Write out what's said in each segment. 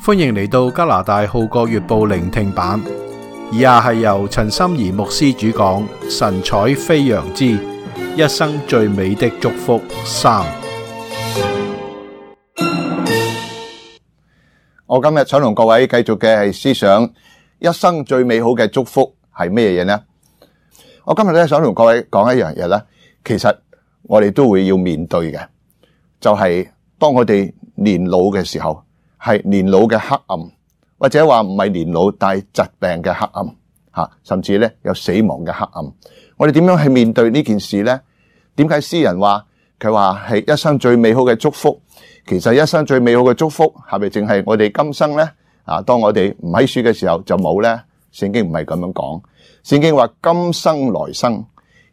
歡迎嚟到加拿大號角月報聆聽版，以下係由陳心怡牧師主講，神采飛揚之一生最美的祝福3。我今日想同各位繼續嘅係思想一生最美好嘅祝福係咩嘢呢？我今日咧想同各位講一樣嘢咧，其實我哋都會要面對嘅，就係當我哋年老嘅時候，係年老嘅黑暗，或者話唔係年老，但係疾病嘅黑暗吓，甚至咧有死亡嘅黑暗。我哋點樣去面對呢件事呢？點解詩人話佢話係一生最美好嘅祝福？其實一生最美好嘅祝福係咪淨係我哋今生呢？當我哋唔喺樹嘅時候就冇呢？聖經唔係咁樣講，聖經話今生來生，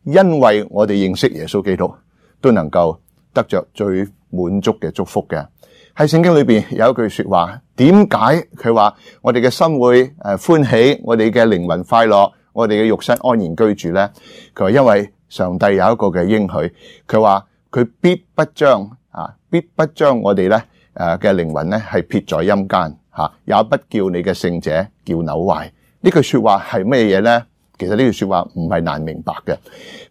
因為我哋認識耶穌基督，都能夠得着最滿足嘅祝福嘅。喺聖經裏邊有一句說話，點解佢話我哋嘅心會歡喜，我哋嘅靈魂快樂，我哋嘅肉身安然居住呢？佢話因為上帝有一個嘅應許，佢話佢必不將我哋咧嘅靈魂咧係撇在陰間吓，也不叫你嘅聖者叫朽壞。呢句說話係咩嘢呢？其實呢句說話唔係難明白嘅。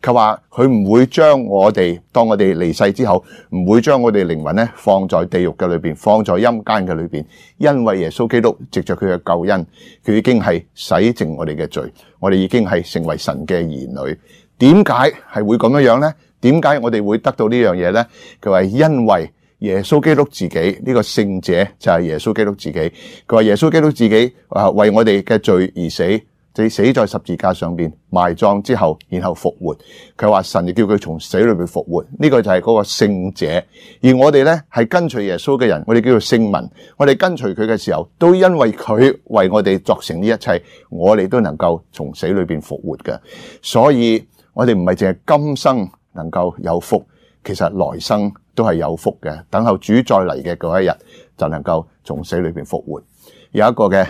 佢話佢唔會將我哋，當我哋離世之後，唔會將我哋靈魂咧放在地獄嘅裏邊，放在陰間嘅裏邊，因為耶穌基督藉着佢嘅救恩，佢已經係洗淨我哋嘅罪，我哋已經係成為神嘅兒女。點解係會咁樣呢？點解我哋會得到呢樣嘢呢？佢話因為耶穌基督自己，呢個聖者就係耶穌基督自己。佢話耶穌基督自己為我哋嘅罪而死，就死在十字架上邊，埋葬之後，然後復活。佢話神就叫佢從死裏邊復活，呢個就係嗰個聖者。而我哋呢係跟隨耶穌嘅人，我哋叫做聖民。我哋跟隨佢嘅時候，都因為佢為我哋作成呢一切，我哋都能夠從死裏邊復活嘅。所以我哋唔係淨係今生能夠有福，其實來生都係有福嘅。等候主再嚟嘅嗰一日，就能夠從死裏邊復活。有一個嘅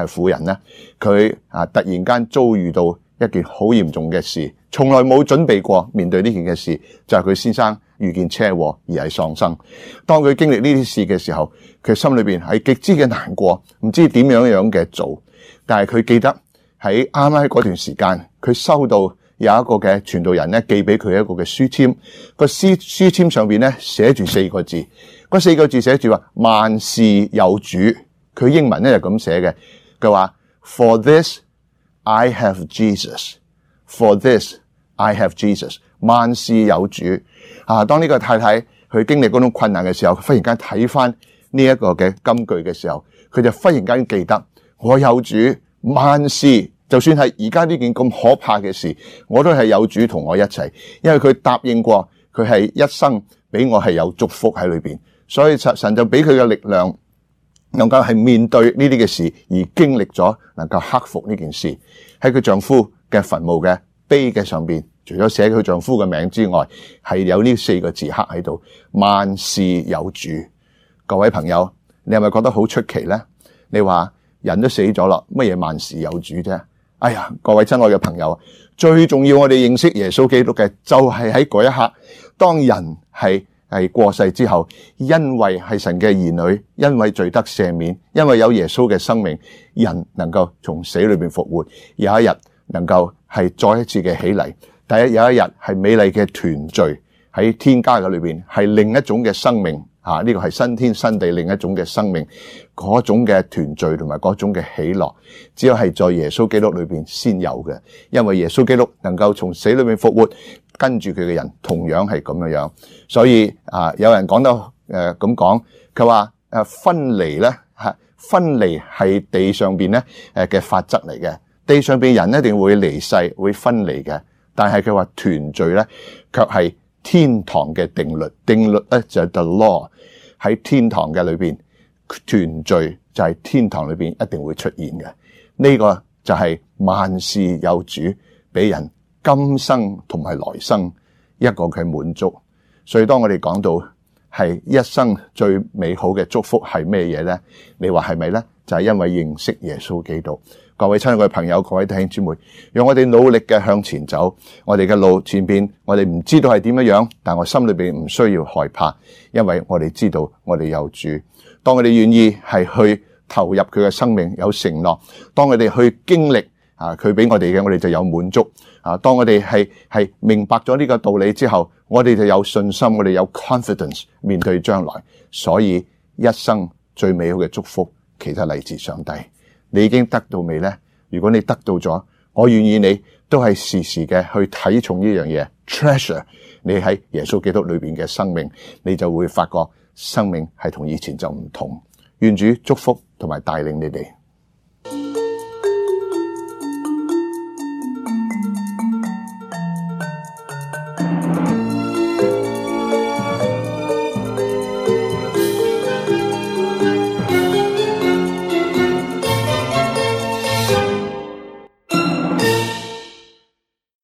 婦人咧，佢突然間遭遇到一件好嚴重嘅事，從來冇準備過面對呢件嘅事，就係佢先生遇見車禍而係喪生。當佢經歷呢啲事嘅時候，佢心裏邊係極之嘅難過，唔知點樣嘅做。但係佢記得喺啱啱喺嗰段時間，佢收到有一個嘅傳道人咧寄俾佢一個嘅書籤，個書籤上邊咧寫住4個字，嗰4個字寫住話萬事有主。佢英文咧就咁寫嘅，佢話 For this I have Jesus， For this I have Jesus， 萬事有主。當呢個太太去經歷嗰種困難嘅時候，忽然間睇翻呢一個嘅金句嘅時候，佢就忽然間記得我有主，萬事就算係而家呢件咁可怕嘅事，我都係有主同我一齊，因為佢答應過，佢係一生俾我係有祝福喺裏邊，所以神就俾佢嘅力量，能夠係面對呢啲嘅事，而經歷咗能夠克服呢件事。喺佢丈夫嘅墳墓嘅碑嘅上邊，除咗寫佢丈夫嘅名之外，係有呢4個字刻喺度，萬事有主。各位朋友，你係咪覺得好出奇呢？你話人都死咗啦，乜嘢萬事有主啫？哎呀，各位親愛嘅朋友，最重要我哋認識耶穌基督嘅，就係喺嗰一刻，當人係過世之後，因為係神嘅兒女，因為罪得赦免，因為有耶穌嘅生命，人能夠從死裏邊復活，有一日能夠係再一次嘅起嚟。有一日係美麗嘅團聚喺天家嘅裏邊，係另一種嘅生命。呢個係新天新地另一種嘅生命，嗰種嘅團聚同埋嗰種嘅喜樂，只有係在耶穌基督裏邊先有嘅。因為耶穌基督能夠從死裏面復活，跟住佢嘅人同樣係咁樣。所以有人講到咁講，佢話分離咧分離係地上邊咧嘅法則嚟嘅，地上邊人一定會離世會分離嘅，但係佢話團聚咧卻係天堂嘅定律，定律咧就係 the law。喺天堂嘅裏邊團聚就係天堂裏邊一定會出現嘅。呢個就係萬事有主，俾人今生同埋來生一個嘅滿足。所以當我哋講到係一生最美好嘅祝福係咩嘢呢？你話係咪呢？就係因為認識耶穌基督，各位親愛嘅朋友，各位弟兄姊妹，讓我哋努力嘅向前走。我哋嘅路前邊，我哋唔知道係點樣，但我心裏邊唔需要害怕，因為我哋知道我哋有主。當我哋願意係去投入佢嘅生命，有承諾，當我哋去經歷佢俾我哋嘅，我哋就有滿足。當我哋係明白咗呢個道理之後，我哋就有信心，我哋有 confidence 面對將來。所以一生最美好嘅祝福其實嚟自上帝。你已經得到未呢？如果你得到咗，我願意你都係時時嘅去睇重呢樣嘢 treasure 你喺耶穌基督裏邊嘅生命，你就會發覺生命係同以前就唔同。願主祝福同埋帶領你哋。